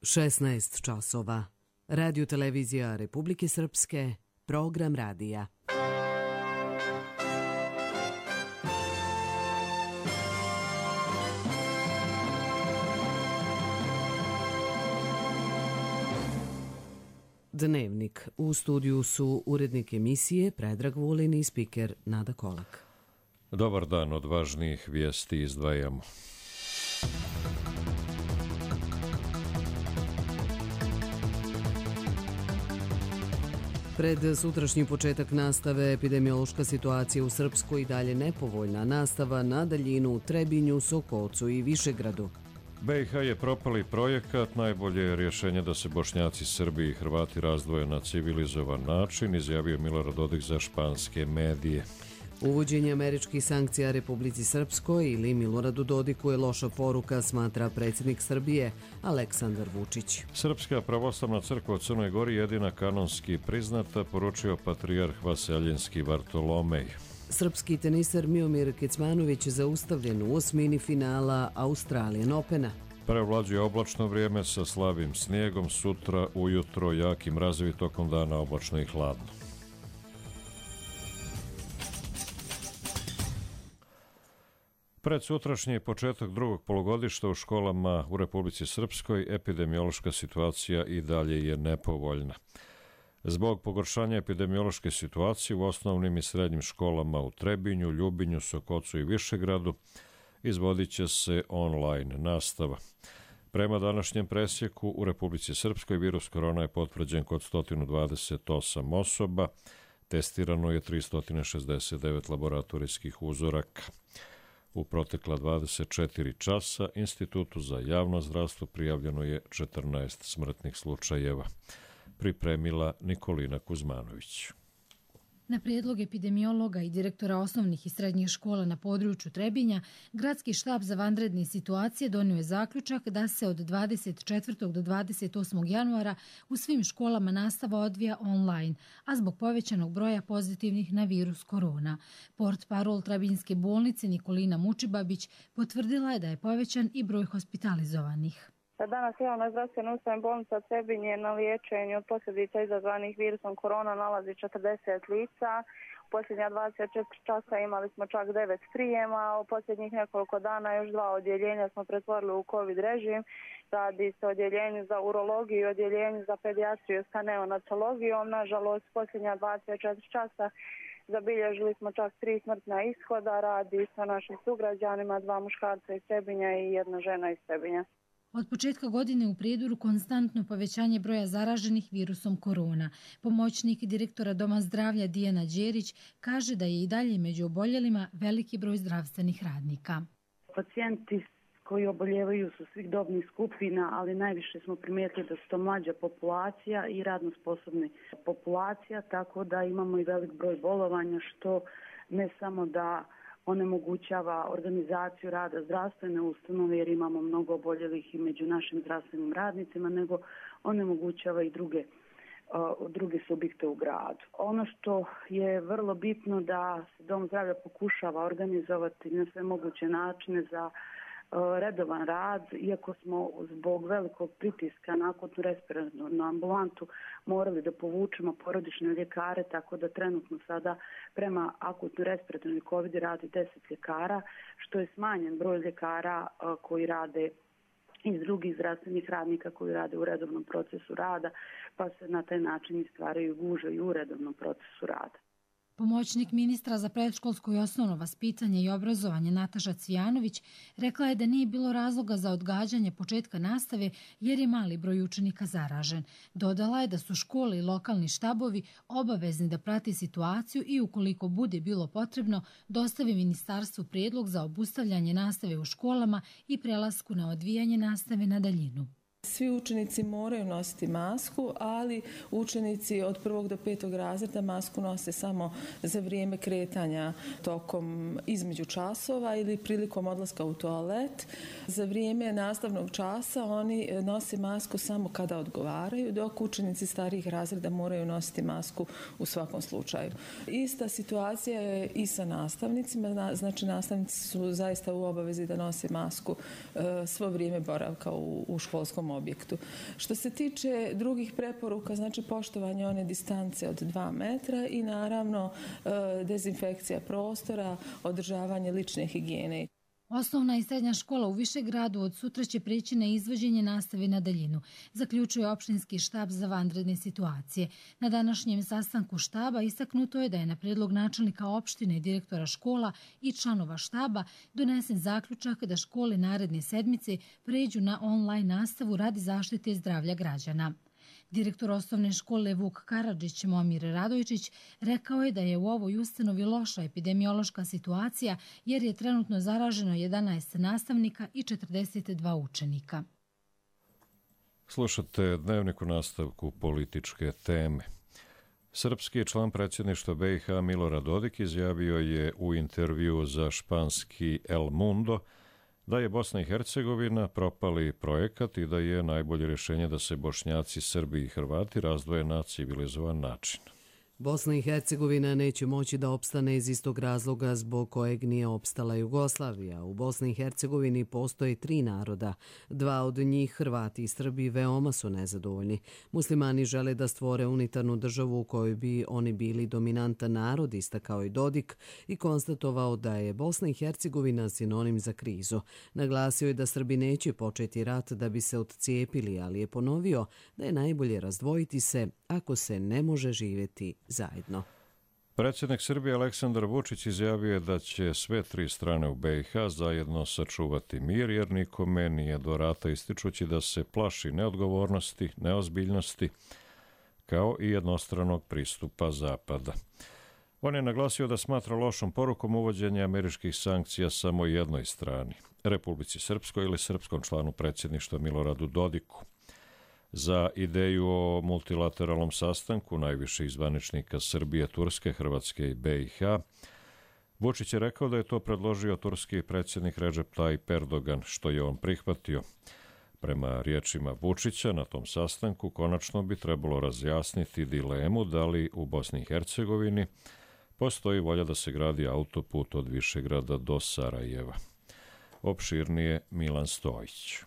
16 časova. Radio televizija Republike Srpske, program radija. Dnevnik. U studiju su urednik emisije Predrag Vulin i spiker Nada Kolak. Dobar dan, od važnijih vijesti izdvajamo. Pred sutrašnji početak nastave epidemiološka situacija u Srpskoj i dalje nepovoljna. Nastava na daljinu u Trebinju, Sokocu i Višegradu. BiH je propali projekat, najbolje je rješenje da se Bošnjaci, Srbi i Hrvati razdvoje na civilizovan način, izjavio Milorad Dodik za španske medije. Uvođenje američkih sankcija Republici Srpskoj ili Miloradu Dodiku je loša poruka, smatra predsjednik Srbije Aleksandar Vučić. Srpska pravoslavna crkva u Crnoj Gori jedina kanonski priznata, poručio patrijarh Vaseljenski Vartolomej. Srpski teniser Miomir Kecmanović zaustavljen u osmini finala Australian Opena. Prevlađuje oblačno vrijeme sa slabim snijegom, sutra ujutro jaki mrazevi, tokom dana oblačno i hladno. Pred sutrašnji početak drugog polugodišta u školama u Republici Srpskoj epidemiološka situacija i dalje je nepovoljna. Zbog pogoršanja epidemiološke situacije u osnovnim i srednjim školama u Trebinju, Ljubinju, Sokocu i Višegradu izvodit će se online nastava. Prema današnjem presjeku u Republici Srpskoj virus korona je potvrđen kod 128 osoba, testirano je 369 laboratorijskih uzoraka. U protekla 24 časa Institutu za javno zdravstvo prijavljeno je 14 smrtnih slučajeva. Pripremila Nikolina Kuzmanović. Na prijedlog epidemiologa i direktora osnovnih i srednjih škola na području Trebinja, Gradski štab za vanredne situacije donio je zaključak da se od 24. do 28. januara u svim školama nastava odvija online, a zbog povećanog broja pozitivnih na virus korona. Portparol Trebinjske bolnice Nikolina Mučibabić potvrdila je da je povećan i broj hospitalizovanih. Danas javna zdravstvena ustanova bolnica Trebinje na liječenju od posljedica izazvanih virusom korona nalazi 40 lica. U posljednja 24 časa imali smo čak 9 prijema, a u posljednjih nekoliko dana još 2 odjeljenja smo pretvorili u COVID režim. Radi se o odjeljenju za urologiju i odjeljenju za pedijatriju sa neonatologijom. Nažalost, posljednja 24 časa zabilježili smo čak 3 smrtna ishoda. Radi sa našim sugrađanima, 2 muškarca iz Trebinja i 1 žena iz Trebinja. Od početka godine u Prijedoru konstantno povećanje broja zaraženih virusom korona. Pomoćnik direktora Doma zdravlja Dijana Đerić kaže da je i dalje među oboljelima veliki broj zdravstvenih radnika. Pacijenti koji oboljevaju su svih dobnih skupina, ali najviše smo primijetili da su to mlađa populacija i radno sposobna populacija, tako da imamo i velik broj bolovanja, što ne samo da onemogućava organizaciju rada zdravstvene ustanove, jer imamo mnogo oboljelih i među našim zdravstvenim radnicima, nego onemogućava i druge subjekte u gradu. Ono što je vrlo bitno da se Dom zdravlja pokušava organizovati na sve moguće načine za redovan rad, iako smo zbog velikog pritiska na akutnu respiratornu ambulantu morali da povučemo porodične ljekare, tako da trenutno sada prema akutnoj respiratornoj COVID radi 10 ljekara, što je smanjen broj ljekara koji rade iz drugih zdravstvenih radnika koji rade u redovnom procesu rada, pa se na taj način stvaraju gužve i u redovnom procesu rada. Pomoćnik ministra za predškolsko i osnovno vaspitanje i obrazovanje Nataša Cvijanović rekla je da nije bilo razloga za odgađanje početka nastave jer je mali broj učenika zaražen. Dodala je da su škole i lokalni štabovi obavezni da prati situaciju i ukoliko bude bilo potrebno dostavi ministarstvu prijedlog za obustavljanje nastave u školama i prelasku na odvijanje nastave na daljinu. Svi učenici moraju nositi masku, ali učenici od 1. do 5. razreda masku nose samo za vrijeme kretanja tokom između časova ili prilikom odlaska u toalet. Za vrijeme nastavnog časa oni nose masku samo kada odgovaraju, dok učenici starijih razreda moraju nositi masku u svakom slučaju. Ista situacija je i sa nastavnicima, znači nastavnici su zaista u obavezi da nose masku svo vrijeme boravka u školskom tom objektu. Što se tiče drugih preporuka, znači poštovanje one distance od 2 metra i naravno dezinfekcija prostora, održavanje lične higijene. Osnovna i srednja škola u Višegradu od sutra će preći na izvođenje nastave na daljinu, zaključuje opštinski štab za vanredne situacije. Na današnjem sastanku štaba istaknuto je da je na predlog načelnika opštine i direktora škola i članova štaba donesen zaključak da škole naredne sedmice pređu na online nastavu radi zaštite zdravlja građana. Direktor osnovne škole Vuk Karadžić Momir Radojčić rekao je da je u ovoj ustanovi loša epidemiološka situacija jer je trenutno zaraženo 11 nastavnika i 42 učenika. Slušate Dnevnik u nastavku političke teme. Srpski član predsjedništva BiH Milorad Dodik izjavio je u intervju za španski El Mundo da je Bosna i Hercegovina propali projekat i da je najbolje rješenje da se Bošnjaci, Srbi i Hrvati razdvoje na civilizovan način. Bosna i Hercegovina neće moći da opstane iz istog razloga zbog kojeg nije opstala Jugoslavija. U Bosni i Hercegovini postoje 3 naroda. 2 od njih, Hrvati i Srbi, veoma su nezadovoljni. Muslimani žele da stvore unitarnu državu u kojoj bi oni bili dominantan narod, istakao i Dodik i konstatovao da je Bosna i Hercegovina sinonim za krizu. Naglasio je da Srbi neće početi rat da bi se odcijepili, ali je ponovio da je najbolje razdvojiti se ako se ne može živjeti zajedno. Predsjednik Srbije Aleksandar Vučić izjavio je da će sve 3 strane u BiH zajedno sačuvati mir, jer nikome nije do rata, ističući da se plaši neodgovornosti, neozbiljnosti, kao i jednostranog pristupa Zapada. On je naglasio da smatra lošom porukom uvođenja američkih sankcija samo jednoj strani, Republici Srpskoj ili srpskom članu predsjedništva Miloradu Dodiku. Za ideju o multilateralnom sastanku najviših zvaničnika Srbije, Turske, Hrvatske i BiH, Vučić je rekao da je to predložio turski predsjednik Recep Tayyip Erdogan, što je on prihvatio. Prema riječima Vučića, na tom sastanku konačno bi trebalo razjasniti dilemu da li u Bosni i Hercegovini postoji volja da se gradi autoput od Višegrada do Sarajeva. Opširnije Milan Stojić.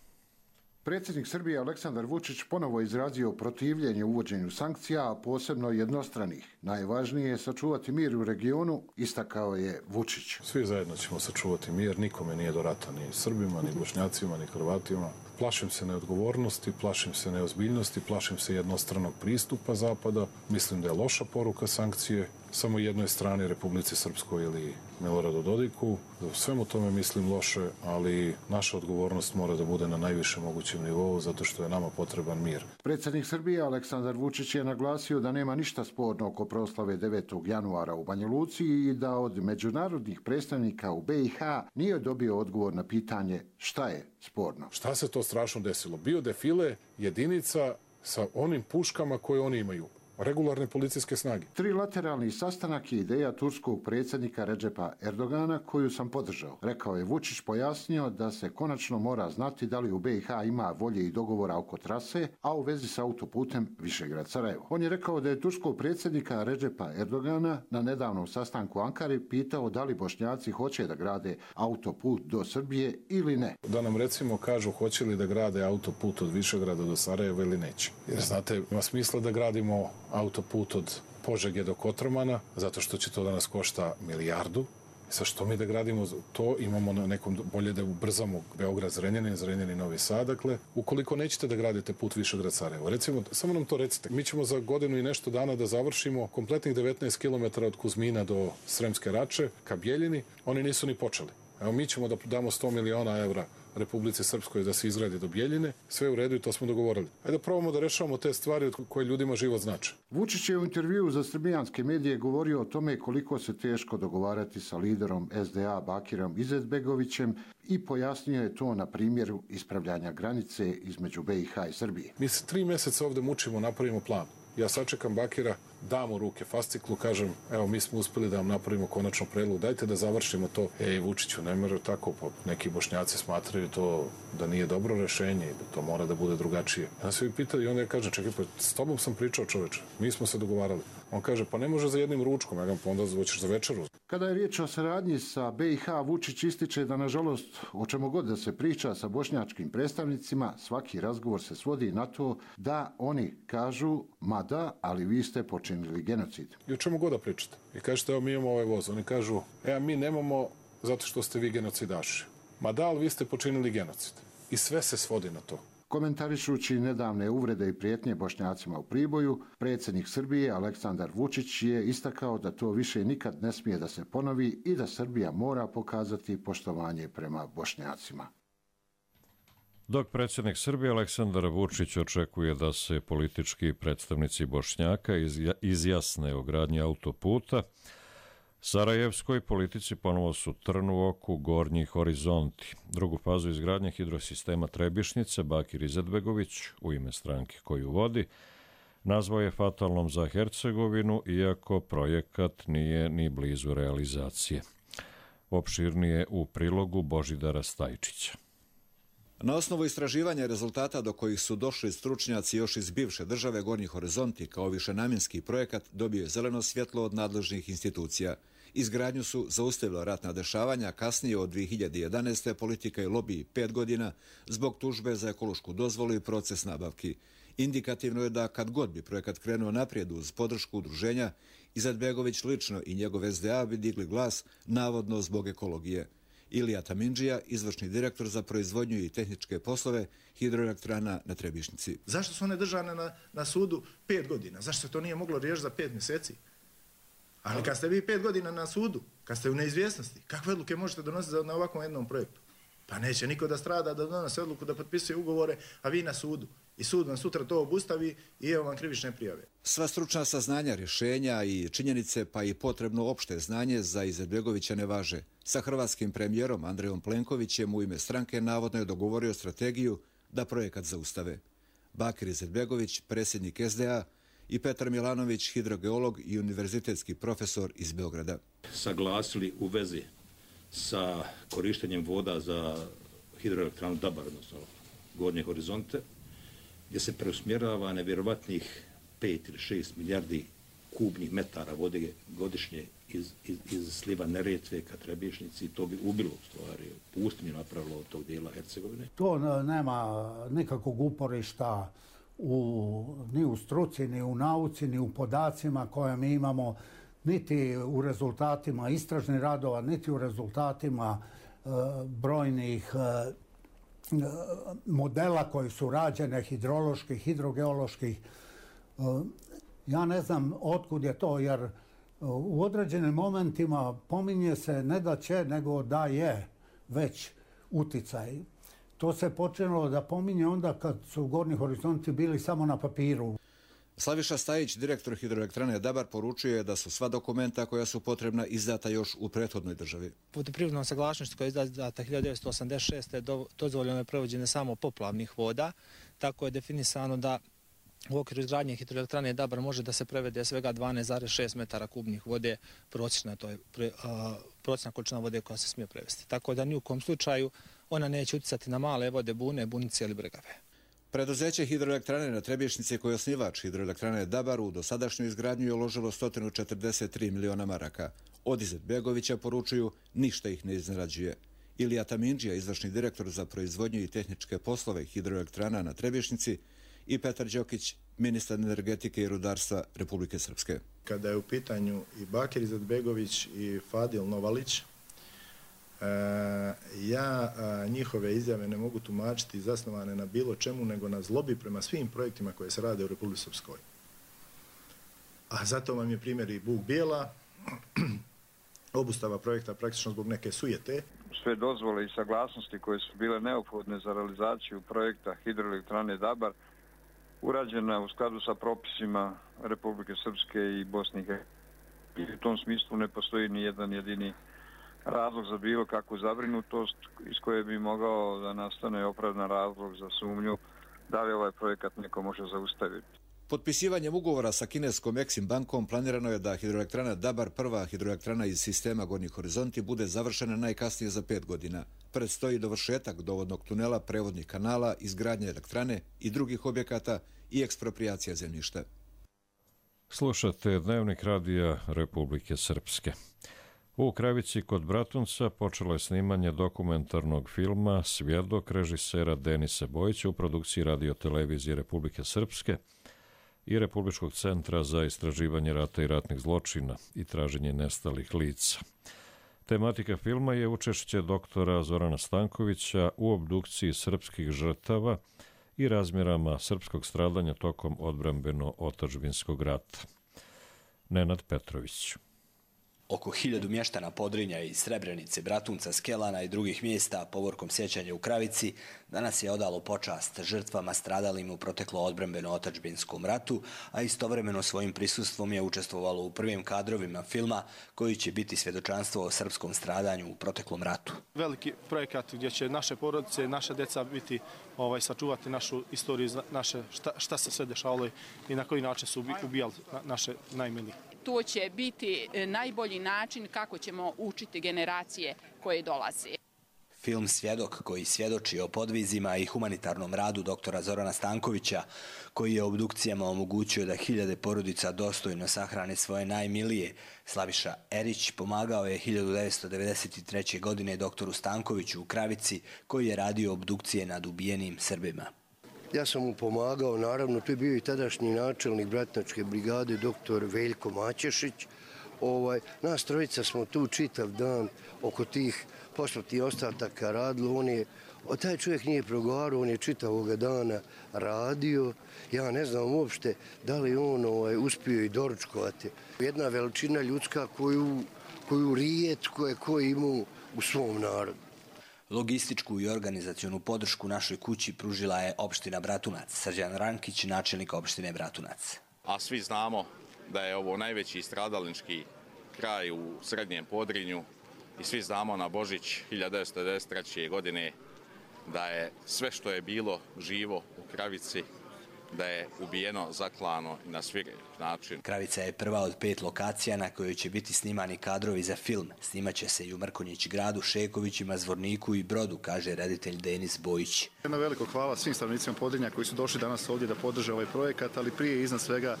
Predsjednik Srbije Aleksandar Vučić ponovo izrazio protivljenje uvođenju sankcija, a posebno jednostranih. Najvažnije je sačuvati mir u regionu, istakao je Vučić. Svi zajedno ćemo sačuvati mir, nikome nije do rata, ni Srbima, ni Bošnjacima, ni Hrvatima. Plašim se neodgovornosti, plašim se neozbiljnosti, plašim se jednostranog pristupa Zapada. Mislim da je loša poruka sankcije samo jednoj strani, Republici Srpskoj ili Miloradu Dodiku. U svemu tome mislim loše, ali naša odgovornost mora da bude na najvišem mogućem nivou, zato što je nama potreban mir. Predsjednik Srbije Aleksandar Vučić je naglasio da nema ništa sporno oko proslave 9. januara u Banja Luci i da od međunarodnih predstavnika u BiH nije dobio odgovor na pitanje šta je sporno. Šta se to strašno desilo? Bio defile jedinica sa onim puškama koje oni imaju. Regularne policijske snage. Trilateralni sastanak je ideja turskog predsjednika Recepa Erdogana koju sam podržao. Rekao je Vučić, pojasnio da se konačno mora znati da li u BiH ima volje i dogovora oko trase, a u vezi s autoputem Višegrad-Sarajevo. On je rekao da je turskog predsjednika Recepa Erdogana na nedavnom sastanku u Ankari pitao da li Bošnjaci hoće da grade autoput do Srbije ili ne. Da nam recimo kažu hoće li da grade autoput od Višegrada do Sarajeva ili neće. Jer znate, ima smisla da gradimo autoput od Požege do Kotromana, zato što će to da nas košta milijardu. Sa što mi da gradimo to, imamo na nekom bolje da ubrzamo Beograd-Zrenjanin, Zrenjanin-Novi Sad. Dakle, ukoliko nećete da gradite put Višegrad-Sarajevo, recimo, samo nam to recite. Mi ćemo za godinu i nešto dana da završimo kompletnih 19 km od Kuzmina do Sremske Rače ka Bjeljini. Oni nisu ni počeli. Evo, mi ćemo da damo 100 miliona evra Republici Srpskoj da se izgradi do Bjeljine, sve u redu i to smo dogovorili. Ajde da probamo da rešavamo te stvari koje ljudima život znače. Vučić je u intervjuu za srbijanske medije govorio o tome koliko se teško dogovarati sa liderom SDA Bakirom Izetbegovićem i pojasnio je to na primjeru ispravljanja granice između BiH i Srbije. Mi se 3 mjeseca ovde mučimo, napravimo plan. Ja sačekam Bakira dam u ruke fasciklu, kažem, evo mi smo uspeli da vam napravimo konačno predlog, dajte da završimo to. Vučiću, ne može tako, neki Bošnjaci smatraju to da nije dobro rešenje i da to mora da bude drugačije. Ja se pitali i onda ja kažem, čekaj, pa s tobom sam pričao, čoveče, mi smo se dogovarali. On kaže, pa ne može za jednim ručkom, ja ga pa onda hoćeš za večeru. Kada je riječ o saradnji sa BiH, Vučić ističe da, nažalost, o čemu god da se priča sa bošnjačkim predstavnicima, svaki razgovor se svodi na to da oni kažu, ma da, ali vi ste počinili genocid. I o čemu god da pričate. I kažete, evo mi imamo ovaj voz. Oni kažu, mi nemamo zato što ste vi genocidaši. Ma da, ali vi ste počinili genocid. I sve se svodi na to. Komentarišući nedavne uvrede i prijetnje Bošnjacima u Priboju, predsjednik Srbije Aleksandar Vučić je istakao da to više nikad ne smije da se ponovi i da Srbija mora pokazati poštovanje prema Bošnjacima. Dok predsjednik Srbije Aleksandar Vučić očekuje da se politički predstavnici Bošnjaka izjasne o gradnji autoputa, sarajevskoj politici ponovo su trn u oku Gornji horizonti. Drugu fazu izgradnje hidrosistema Trebišnice Bakir Izetbegović, u ime stranke koju vodi, nazvao je fatalnom za Hercegovinu, iako projekat nije ni blizu realizacije. Opširnije u prilogu Božidara Stajčića. Na osnovu istraživanja rezultata do kojih su došli stručnjaci još iz bivše države, Gornji horizonti kao višenamjenski projekat dobio je zeleno svjetlo od nadležnih institucija. Izgradnju su zaustavila ratna dešavanja, kasnije od 2011. politika i lobiji 5 godina zbog tužbe za ekološku dozvolu i proces nabavki. Indikativno je da kad god bi projekat krenuo naprijed uz podršku udruženja, Izetbegović lično i njegov SDA bi digli glas navodno zbog ekologije. Ilija Tamindžija, izvršni direktor za proizvodnju i tehničke poslove hidroelektrana na Trebišnici. Zašto su one držane na sudu 5 godina? Zašto se to nije moglo riješiti za 5 mjeseci? Ali kad ste vi 5 godina na sudu, kad ste u neizvjesnosti, kakve odluke možete donositi na ovakvom jednom projektu? Pa neće niko da strada, da donose odluku, da potpisuje ugovore, a vi na sudu. I sud vam sutra to obustavi i evo vam krivične prijave. Sva stručna saznanja, rješenja i činjenice, pa i potrebno opšte znanje za Izetbegovića ne važe. Sa hrvatskim premijerom Andrejom Plenkovićem u ime stranke navodno je dogovorio strategiju da projekat zaustave. Bakir Izetbegović, predsjednik SDA, i Petar Milanović, hidrogeolog i univerzitetski profesor iz Beograda. Saglasili u vezi sa korištenjem voda za hidroelektranu Dabar, odnosno Gornje horizonte, gdje se preusmjerava nevjerovatnih 5 ili 6 milijardi kubnih metara vode godišnje iz sliva Neretve ka Trebišnici. To bi ubilo u stvari pustinju, napravilo od tog dijela Hercegovine. To nema nikakvog uporišta ni u struci, ni u nauci, ni u podacima koje mi imamo, niti u rezultatima istražnih radova, niti u rezultatima brojnih modela koji su rađene, hidroloških, hidrogeoloških. Ja ne znam otkud je to, jer u određenim momentima pominje se ne da će, nego da je već uticaj. To se počelo da pominje onda kad su Gornji horizonti bili samo na papiru. Slaviša Stajić, direktor hidroelektrane Dabar, poručuje da su sva dokumenta koja su potrebna izdata još u prethodnoj državi. Vodoprivrednom saglasnošću koja je izdata 1986. dozvoljeno je provođenje samo poplavnih voda, tako je definisano da u okviru izgradnje hidroelektrane Dabar može da se prevede svega 12,6 metara kubnih vode prosječna, to je prosječna količina vode koja se smije prevesti. Tako da ni u kom slučaju ona neće uticati na male vode, bune, bunice ili bregave. Preduzeće hidroelektrane na Trebišnici, koji je osnivač hidroelektrane Dabar, u dosadašnju izgradnju je uložilo 143 miliona maraka. Od Izetbegovića poručuju, ništa ih ne iznenađuje. Ilija Tamindžija, izvršni direktor za proizvodnju i tehničke poslove hidroelektrana na Trebišnici, i Petar Đokić, ministar energetike i rudarstva Republike Srpske. Kada je u pitanju i Bakir Izetbegović i Fadil Novalić, ja njihove izjave ne mogu tumačiti zasnovane na bilo čemu, nego na zlobi prema svim projektima koje se rade u Republici Srpskoj. A zato vam je primjer i Buk Bijela, obustava projekta praktično zbog neke sujete. Sve dozvole i saglasnosti koje su bile neophodne za realizaciju projekta hidroelektrane Dabar urađena u skladu sa propisima Republike Srpske i Bosne i Hercegovine. U tom smislu ne postoji ni jedan jedini razlog za bilo kakvu zabrinutost iz koje bi mogao da nastane opravdan razlog za sumnju da li ovaj projekat neko može zaustaviti. Potpisivanjem ugovora sa kineskom Exim bankom planirano je da hidroelektrana Dabar, prva hidroelektrana iz sistema Gornji horizonti, bude završena najkasnije za 5 godina. Predstoji dovršetak dovodnog tunela, prevodnih kanala, izgradnje elektrane i drugih objekata i eksproprijacija zemljišta. Slušate Dnevnik radija Republike Srpske. U Kravici kod Bratunca počelo je snimanje dokumentarnog filma Svjedok režisera Denisa Bojića u produkciji Radio-televizije Republike Srpske i Republičkog centra za istraživanje rata i ratnih zločina i traženje nestalih lica. Tematika filma je učešće doktora Zorana Stankovića u obdukciji srpskih žrtava i razmjerama srpskog stradanja tokom odbrambeno-otadžbinskog rata. Nenad Petrović. Oko 1000 mještana Podrinja iz Srebrenice, Bratunca, Skelana i drugih mjesta povorkom sjećanja u Kravici danas je odalo počast žrtvama stradalim u proteklo odbrambeno-otadžbinskom ratu, a istovremeno svojim prisustvom je učestvovalo u prvim kadrovima filma koji će biti svjedočanstvo o srpskom stradanju u proteklom ratu. Veliki projekat gdje će naše porodice, naša djeca biti sačuvati našu istoriju, šta se sve dešavalo i na koji način su ubijali naše najmilije. To će biti najbolji način kako ćemo učiti generacije koje dolaze. Film Svjedok, koji svjedoči o podvizima i humanitarnom radu doktora Zorana Stankovića, koji je obdukcijama omogućio da 1000 porodica dostojno sahrane svoje najmilije, Slaviša Erić pomagao je 1993. godine doktoru Stankoviću u Kravici, koji je radio obdukcije nad ubijenim Srbima. Ja sam mu pomagao, naravno, tu je bio i tadašnji načelnik Bratnačke brigade, doktor Veljko Maćešić. Nas trojica smo tu čitav dan oko tih posmrtnih ostataka radilo. Taj čovjek nije progovarao, on je čitavoga dana radio. Ja ne znam uopšte da li on uspio i doručkovati. Jedna veličina ljudska koju rijetko je ko imao u svom narodu. Logističku i organizacionu podršku našoj kući pružila je opština Bratunac. Srđan Rankić, načelnik opštine Bratunac. A svi znamo da je ovo najveći stradalnički kraj u Srednjem Podrinju i svi znamo na Božić 1993. godine da je sve što je bilo živo u Kravici, da je ubijeno, zaklano i na svirep način. Kravica je prva od 5 lokacija na kojoj će biti snimani kadrovi za film. Snimaće se i u Mrkonjić gradu, Šekovićima, Zvorniku i Brodu, kaže reditelj Denis Bojić. Jedno veliko hvala svim stanovnicima Podrinja koji su došli danas ovdje da podrže ovaj projekat, ali prije i iznad svega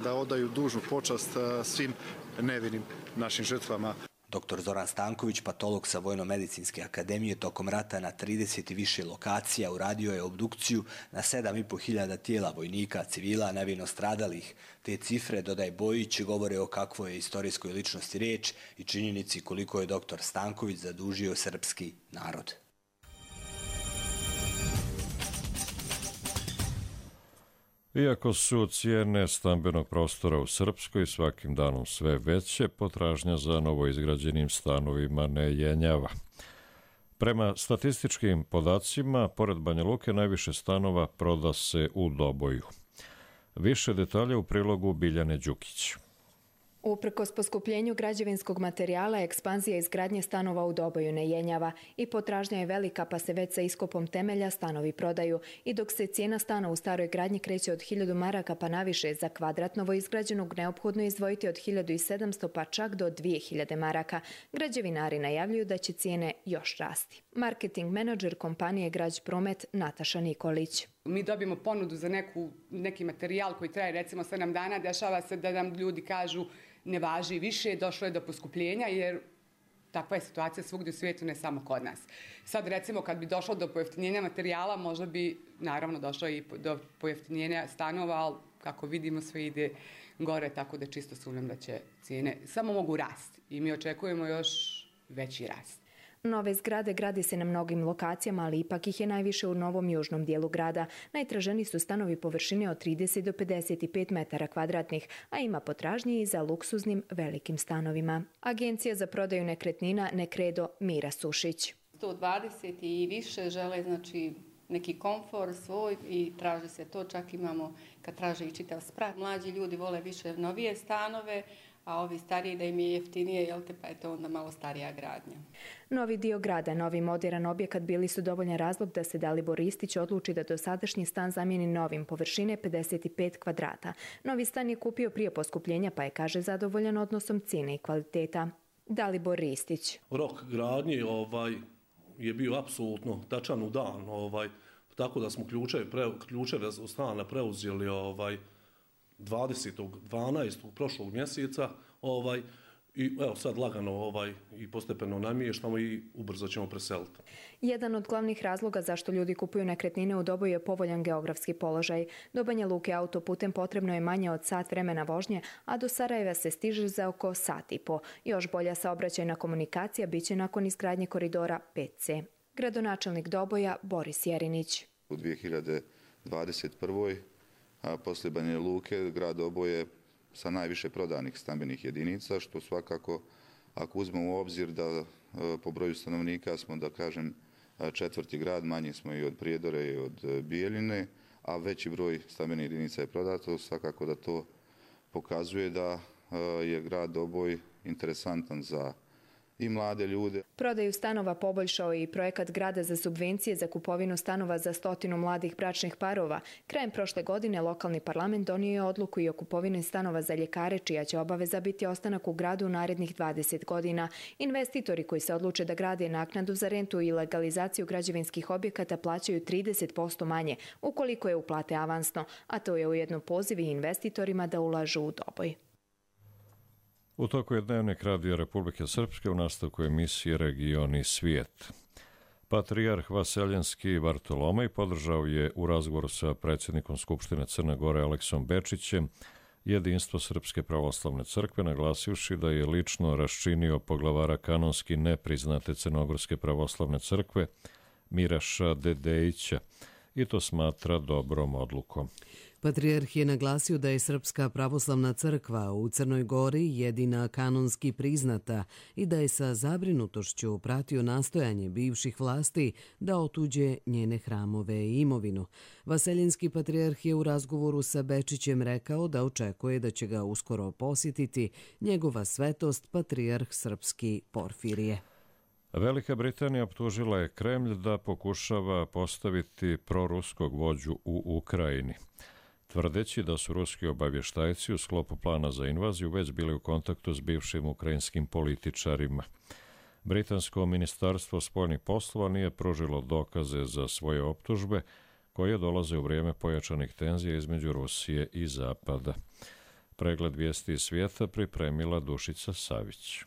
da odaju dužnu počast svim nevinim našim žrtvama. Dr. Zoran Stanković, patolog sa Vojno-medicinske akademije, tokom rata na 30 i više lokacija uradio je obdukciju na 7.500 tijela vojnika, civila, nevino stradalih. Te cifre, dodaj Bojić, govore o kakvoj je istorijskoj ličnosti riječ i činjenici koliko je dr. Stanković zadužio srpski narod. Iako su cijene stambenog prostora u Srpskoj svakim danom sve veće, potražnja za novoizgrađenim stanovima ne jenjava. Prema statističkim podacima, pored Banja Luke najviše stanova proda se u Doboju. Više detalja u prilogu Biljane Đukić. Uprkos poskupljenju građevinskog materijala, ekspanzija izgradnje stanova u Doboju ne jenjava i potražnja je velika, pa se već sa iskopom temelja stanovi prodaju. I dok se cijena stana u staroj gradnji kreće od 1000 maraka pa naviše, za kvadrat novoizgrađenog neophodno izdvojiti od 1700 pa čak do 2000 maraka. Građevinari najavljuju da će cijene još rasti. Marketing menadžer kompanije Građ Promet Nataša Nikolić. Mi dobijemo ponudu za neki materijal koji traje recimo 7 dana, dešava se da nam ljudi kažu ne važi više, došlo je do poskupljenja jer takva je situacija svugdje u svijetu, ne samo kod nas. Sad recimo kad bi došlo do pojeftinjenja materijala, možda bi naravno došlo i do pojeftinjenja stanova, ali kako vidimo sve ide gore, tako da čisto sumnjam da će cijene samo mogu rasti i mi očekujemo još veći rast. Nove zgrade gradi se na mnogim lokacijama, ali ipak ih je najviše u novom južnom dijelu grada. Najtraženiji su stanovi površine od 30 do 55 metara kvadratnih, a ima potražnje i za luksuznim velikim stanovima. Agencija za prodaju nekretnina Nekredo Mira Sušić. 120 i više žele znači neki komfor svoj i traže se to, čak imamo kad traže i čitav sprat. Mlađi ljudi vole više novije stanove, a ovi stariji da im je jeftinije, jel te, pa je to onda malo starija gradnja. Novi dio grada, novi moderan objekat bili su dovoljan razlog da se Dalibor Ristić odluči da dosadašnji stan zamijeni novim, površine 55 kvadrata. Novi stan je kupio prije poskupljenja, pa je, kaže, zadovoljan odnosom cijene i kvaliteta. Dalibor Ristić. Rok gradnje je bio apsolutno tačan u dan, tako da smo ključeve stana preuzeli 20.12. prošlog mjeseca i evo sad lagano i postepeno namještamo i ubrzo ćemo preseliti. Jedan od glavnih razloga zašto ljudi kupuju nekretnine u Doboju je povoljan geografski položaj. Do Banja Luke autoputem potrebno je manje od sat vremena vožnje, a do Sarajeva se stiže za oko sat i po. Još bolja saobraćajna komunikacija biće nakon izgradnje koridora 5C. Gradonačelnik Doboja Boris Jerinić. U 2021. a poslije Banja Luke grad Doboj je sa najviše prodanih stambenih jedinica, što svakako, ako uzmemo u obzir da po broju stanovnika smo, da kažem, 4. grad, manji smo i od Prijedore i od Bijeljine, a veći broj stambenih jedinica je prodato, svakako da to pokazuje da je grad Doboj interesantan za i mlade ljude. Prodaju stanova poboljšao i projekat grada za subvencije za kupovinu stanova za 100 mladih bračnih parova. Krajem prošle godine lokalni parlament donio je odluku i o kupovini stanova za ljekare, čija će obaveza biti ostanak u gradu u narednih 20 godina. Investitori koji se odluče da grade naknadu za rentu i legalizaciju građevinskih objekata plaćaju 30% manje, ukoliko je uplate avansno, a to je ujedno poziv i investitorima da ulažu u Doboj. U toku je Dnevnik Radija Republike Srpske u nastavku emisije Region i svijet. Patrijarh Vaseljenski Bartolomej podržao je u razgovoru sa predsjednikom Skupštine Crne Gore Aleksom Bečićem jedinstvo Srpske pravoslavne crkve, naglasivši da je lično raščinio poglavara kanonski nepriznate Crnogorske pravoslavne crkve Miraša Dedejića i to smatra dobrom odlukom. Patrijarh je naglasio da je Srpska pravoslavna crkva u Crnoj Gori jedina kanonski priznata i da je sa zabrinutošću pratio nastojanje bivših vlasti da otuđe njene hramove i imovinu. Vaseljenski patrijarh je u razgovoru sa Bečićem rekao da očekuje da će ga uskoro posjetiti njegova svetost patrijarh srpski Porfirije. Velika Britanija optužila je Kremlj da pokušava postaviti proruskog vođu u Ukrajini, tvrdeći da su ruski obavještajci u sklopu plana za invaziju već bili u kontaktu s bivšim ukrajinskim političarima. Britansko ministarstvo spoljnih poslova nije pružilo dokaze za svoje optužbe, koje dolaze u vrijeme pojačanih tenzija između Rusije i Zapada. Pregled vijesti iz svijeta pripremila Dušica Savić.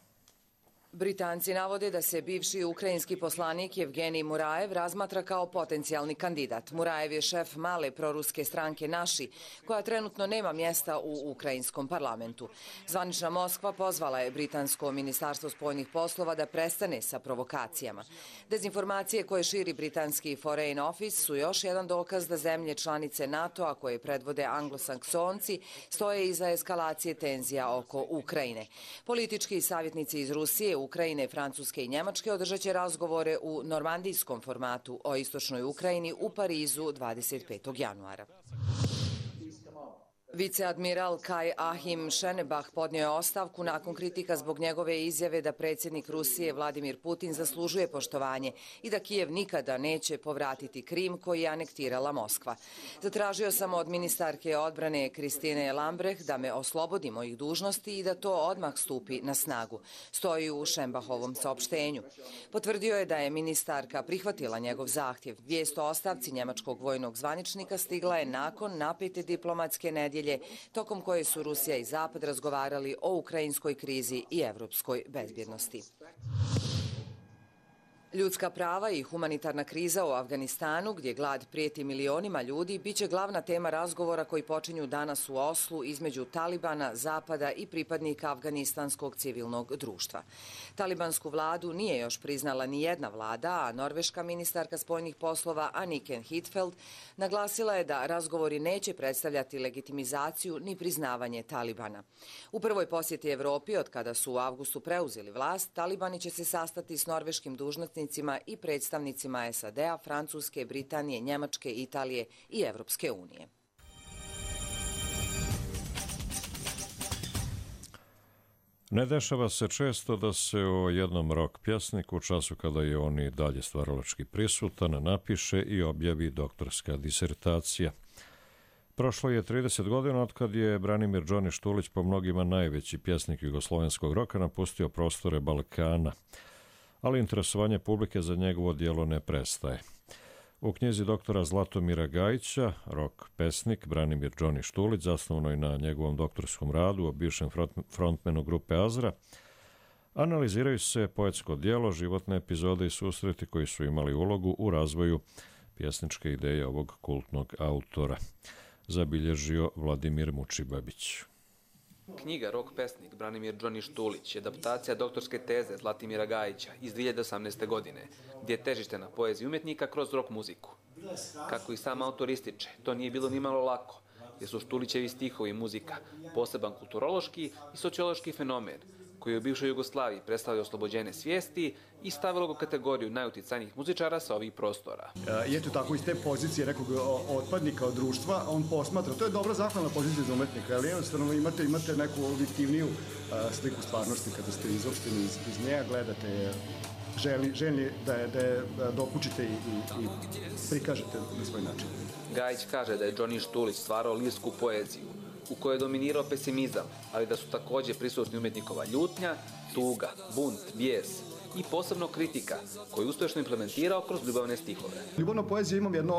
Britanci navode da se bivši ukrajinski poslanik Evgenij Murajev razmatra kao potencijalni kandidat. Murajev je šef male proruske stranke Naši, koja trenutno nema mjesta u ukrajinskom parlamentu. Zvanična Moskva pozvala je britansko ministarstvo spoljnih poslova da prestane sa provokacijama. Dezinformacije koje širi britanski Foreign Office su još jedan dokaz da zemlje članice NATO-a koje predvode anglosaksonci stoje iza eskalacije tenzija oko Ukrajine. Politički savjetnici iz Rusije, Ukrajine, Francuske i Njemačke održat će razgovore u normandijskom formatu o istočnoj Ukrajini u Parizu 25. januara. Viceadmiral Kaj Ahim Šenebah podnio je ostavku nakon kritika zbog njegove izjave da predsjednik Rusije Vladimir Putin zaslužuje poštovanje i da Kijev nikada neće povratiti Krim koji je anektirala Moskva. Zatražio sam od ministarke odbrane Kristine Lambrecht da me oslobodi mojih dužnosti i da to odmah stupi na snagu, stoji u Šenbahovom saopštenju. Potvrdio je da je ministarka prihvatila njegov zahtjev. Vijest o ostavci njemačkog vojnog zvaničnika stigla je nakon napete diplomatske nedjelje tokom koje su Rusija i Zapad razgovarali o ukrajinskoj krizi i evropskoj bezbjednosti. Ljudska prava i humanitarna kriza u Afganistanu, gdje glad prijeti milionima ljudi, bit će glavna tema razgovora koji počinju danas u Oslu između Talibana, Zapada i pripadnika afganistanskog civilnog društva. Talibansku vladu nije još priznala ni jedna vlada, a norveška ministarka spoljnih poslova Anniken Huitfeldt naglasila je da razgovori neće predstavljati legitimizaciju ni priznavanje Talibana. U prvoj posjeti Evropi, od kada su u avgustu preuzeli vlast, Talibani će se sastati s norveškim dužnosnicima i predstavnicima SAD-a, Francuske, Britanije, Njemačke, Italije i Evropske unije. Ne dešava se često da se o jednom rock pjesniku u času kada je on i dalje stvaralački prisutan napiše i objavi doktorska disertacija. Prošlo je 30 godina od kad je Branimir Džoni Štulić, po mnogima najveći pjesnik jugoslovenskog roka, napustio prostore Balkana, ali interesovanje publike za njegovo djelo ne prestaje. U knjizi doktora Zlatomira Gajića, rock pesnik Branimir Džoni Štulić, zasnovanoj na njegovom doktorskom radu o bivšem frontmenu grupe Azra, analiziraju se poetsko djelo, životne epizode i susreti koji su imali ulogu u razvoju pjesničke ideje ovog kultnog autora, zabilježio Vladimir Mučibabić. Knjiga Rock pesnik Branimir Džoni Štulić je adaptacija doktorske teze Zlatimira Gajića iz 2018. godine, gdje je težište na poeziji umjetnika kroz rock muziku. Kako i sam autor ističe, to nije bilo nimalo lako, jer su Štulićevi stihovi i muzika poseban kulturološki i sociološki fenomen, koji je u bivšoj Jugoslaviji predstavlja oslobođene svijesti i stavilo ga u kategoriju najuticajnijih muzičara sa ovih prostora. I eto tako iz te pozicije nekog otpadnika od društva, on posmatra, to je dobra zahvalna pozicija za umetnika, ali jednostavno imate neku objektivniju sliku stvarnosti kada ste izopšteni iz nje, gledate je, željni da je dokučite i prikažete na svoj način. Gajić kaže da je Džoni Štulić stvarao lirsku poeziju, u kojoj je dominirao pesimizam, ali da su također prisutni umjetnikova ljutnja, tuga, bunt, bijes i posebno kritika, koju je uspješno implementirao kroz ljubavne stihove. Ljubavna poezija imam jedno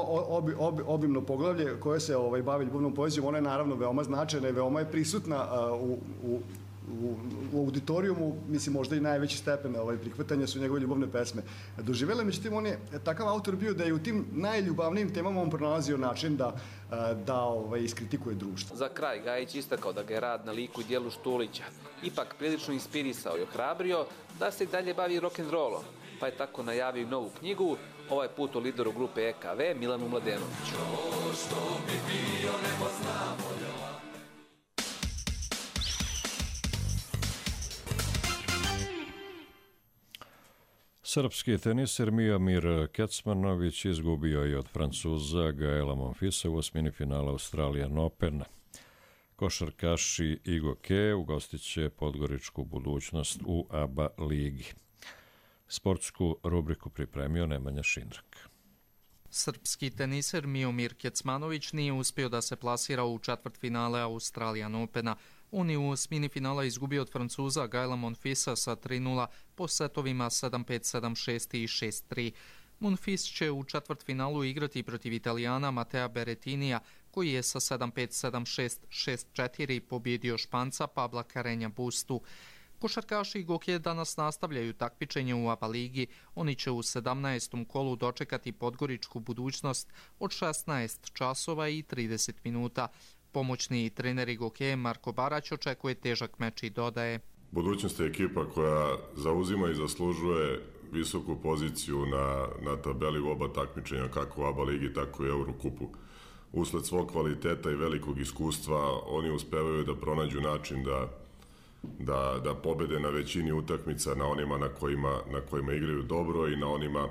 obimno poglavlje koje se bavi ljubavnom poezijom. Ona je naravno veoma značajna i veoma je prisutna u auditorijumu, mislim možda i najveći stepen prihvatanja su njegove ljubavne pesme doživjele. Međutim, on je takav autor bio da je u tim najljubavnijim temama on pronalazio način da iskritikuje društvo. Za kraj Gajić istakao da ga je rad na liku i djelu Štulića ipak prilično inspirisao i ohrabrio da se i dalje bavi rock'n'rollom, pa je tako najavio i novu knjigu, ovaj put o lideru grupe EKV Milanu Mladenoviću. Srpski teniser Miomir Kecmanović izgubio je od Francuza Gaela Monfilsa u osmini finala Australian Opena. Košarkaši Igo Ke ugostit će podgoričku budućnost u ABA ligi. Sportsku rubriku pripremio Nemanja Šindrak. Srpski teniser Miomir Kecmanović nije uspio da se plasira u četvrtfinale Australian Opena. On je u osmini finala izgubio od Francuza Gaela Monfilsa sa 3:0 po setovima 7-5, 7-6 i 6-3. Monfils će u četvrtfinalu igrati protiv Italijana Matea Berrettinija, koji je sa 7-5, 7-6, 6-4 pobjedio Španca Pabla Carreña Bustu. Košarkaši Igo Ke danas nastavljaju takmičenje u ABA ligi. Oni će u 17. kolu dočekati podgoričku budućnost od 16 časova i 30 minuta. Pomoćni trener Igo Ke Marko Barać očekuje težak meč i dodaje: Budućnost je ekipa koja zauzima i zaslužuje visoku poziciju na tabeli u oba takmičenja, kako u ABA ligi, tako i Eurokupu. Usled svog kvaliteta i velikog iskustva oni uspevaju da pronađu način da pobede na većini utakmica, na onima na kojima igraju dobro i na onima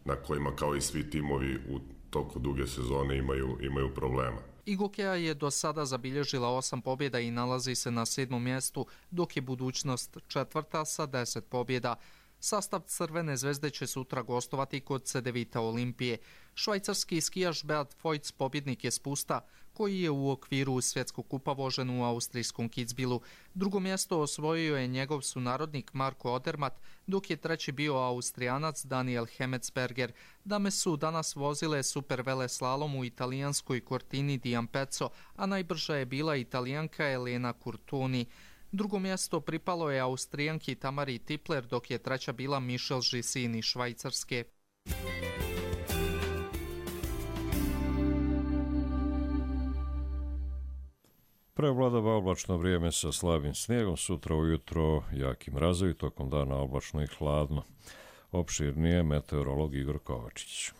na kojima, kao i svi timovi u toku duge sezone, imaju problema. Igo Kea je do sada zabilježila 8 pobjeda i nalazi se na 7. mjestu, dok je budućnost četvrta sa 10 pobjeda. Sastav Crvene zvezde će sutra gostovati kod Cedevita Olimpije. Švajcarski skijaš Beat Feuz pobjednik je spusta, koji je u okviru svjetskog kupa vožen u austrijskom Kitzbühelu. Drugo mjesto osvojio je njegov sunarodnik Marko Odermatt, dok je treći bio Austrijanac Daniel Hemetsberger. Dame su danas vozile super veleslalom u italijanskoj Cortini di Ampezzo, a najbrža je bila Italijanka Elena Curtuni. Drugo mjesto pripalo je Austrijanki Tamari Tipler, dok je treća bila Michelle Gissin iz Švajcarske. Prevladava oblačno vrijeme sa slabim snijegom, sutra ujutro jaki mrazovi, tokom dana oblačno i hladno. Opširnije meteorolog Igor Kovačić.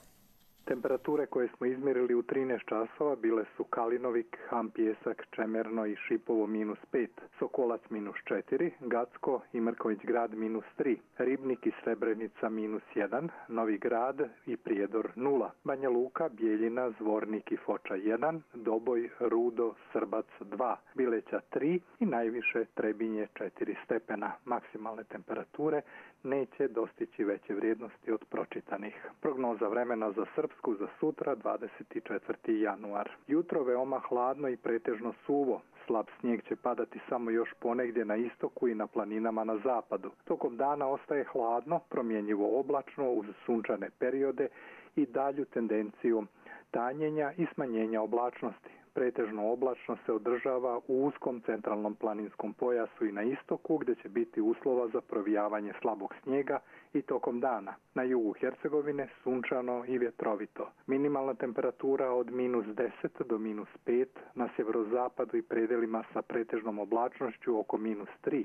Temperature koje smo izmjerili u 13 časova bile su Kalinovik, Ham Pjesak, Čemerno i Šipovo -5, Sokolac -4, Gacko i Mrković Grad -3, Ribnik i Srebrenica -1, Novi Grad i Prijedor 0, Banja Luka, Bijeljina, Zvornik i Foča 1, Doboj, Rudo, Srbac 2, Bileća 3 i najviše Trebinje 4 stepena. Maksimalne temperature neće dostići veće vrijednosti od pročitanih. Prognoza vremena za Srpsku za sutra 24. januar. Jutro veoma hladno i pretežno suvo. Slab snijeg će padati samo još ponegdje na istoku i na planinama na zapadu. Tokom dana ostaje hladno, promjenjivo oblačno uz sunčane periode i dalju tendenciju tanjenja i smanjenja oblačnosti. Pretežno oblačno se održava u uskom centralnom planinskom pojasu i na istoku gdje će biti uslova za provijavanje slabog snijega i tokom dana. Na jugu Hercegovine sunčano i vjetrovito. Minimalna temperatura od -10 do -5, na sjeverozapadu i predelima sa pretežnom oblačnošću oko -3.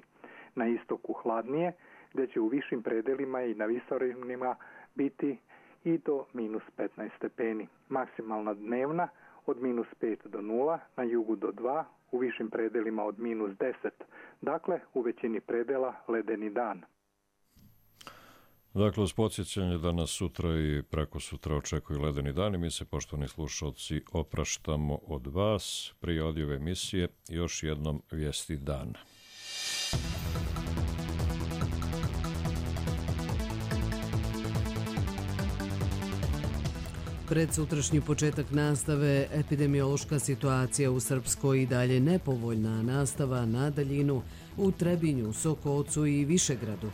Na istoku hladnije, gdje će u višim predelima i na visorinima biti i do -15 stepeni. Maksimalna dnevna od -5 do 0, na jugu do 2, u višim predelima od -10. Dakle, u većini predela ledeni dan. Dakle, uz podsjećanje da nas sutra i preko sutra očekuju ledeni dani, mi se, poštovani slušalci, opraštamo od vas. Prije odjave emisije još jednom vijesti dana. Pred sutrašnji početak nastave, epidemiološka situacija u Srpskoj i dalje nepovoljna, nastava na daljinu u Trebinju, Sokocu i Višegradu.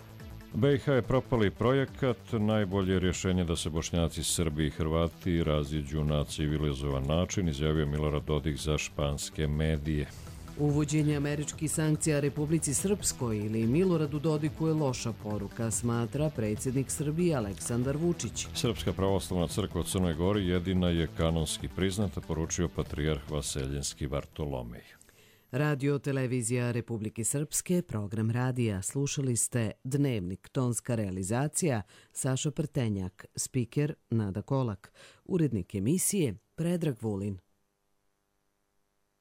BiH je propali projekat, najbolje rješenje da se Bošnjaci, Srbi i Hrvati raziđu na civilizovan način, izjavio Milorad Dodik za španske medije. Uvođenje američkih sankcija Republici Srpskoj ili Miloradu Dodiku je loša poruka, smatra predsjednik Srbije Aleksandar Vučić. Srpska pravoslavna crkva u Crnoj Gori jedina je kanonski priznata, poručio patrijarh Vaseljenski Vartolomej. Radio Televizija Republike Srpske, program radija. Slušali ste Dnevnik, tonska realizacija Saša Prtenjak, spiker Nada Kolak, urednik emisije Predrag Vulin.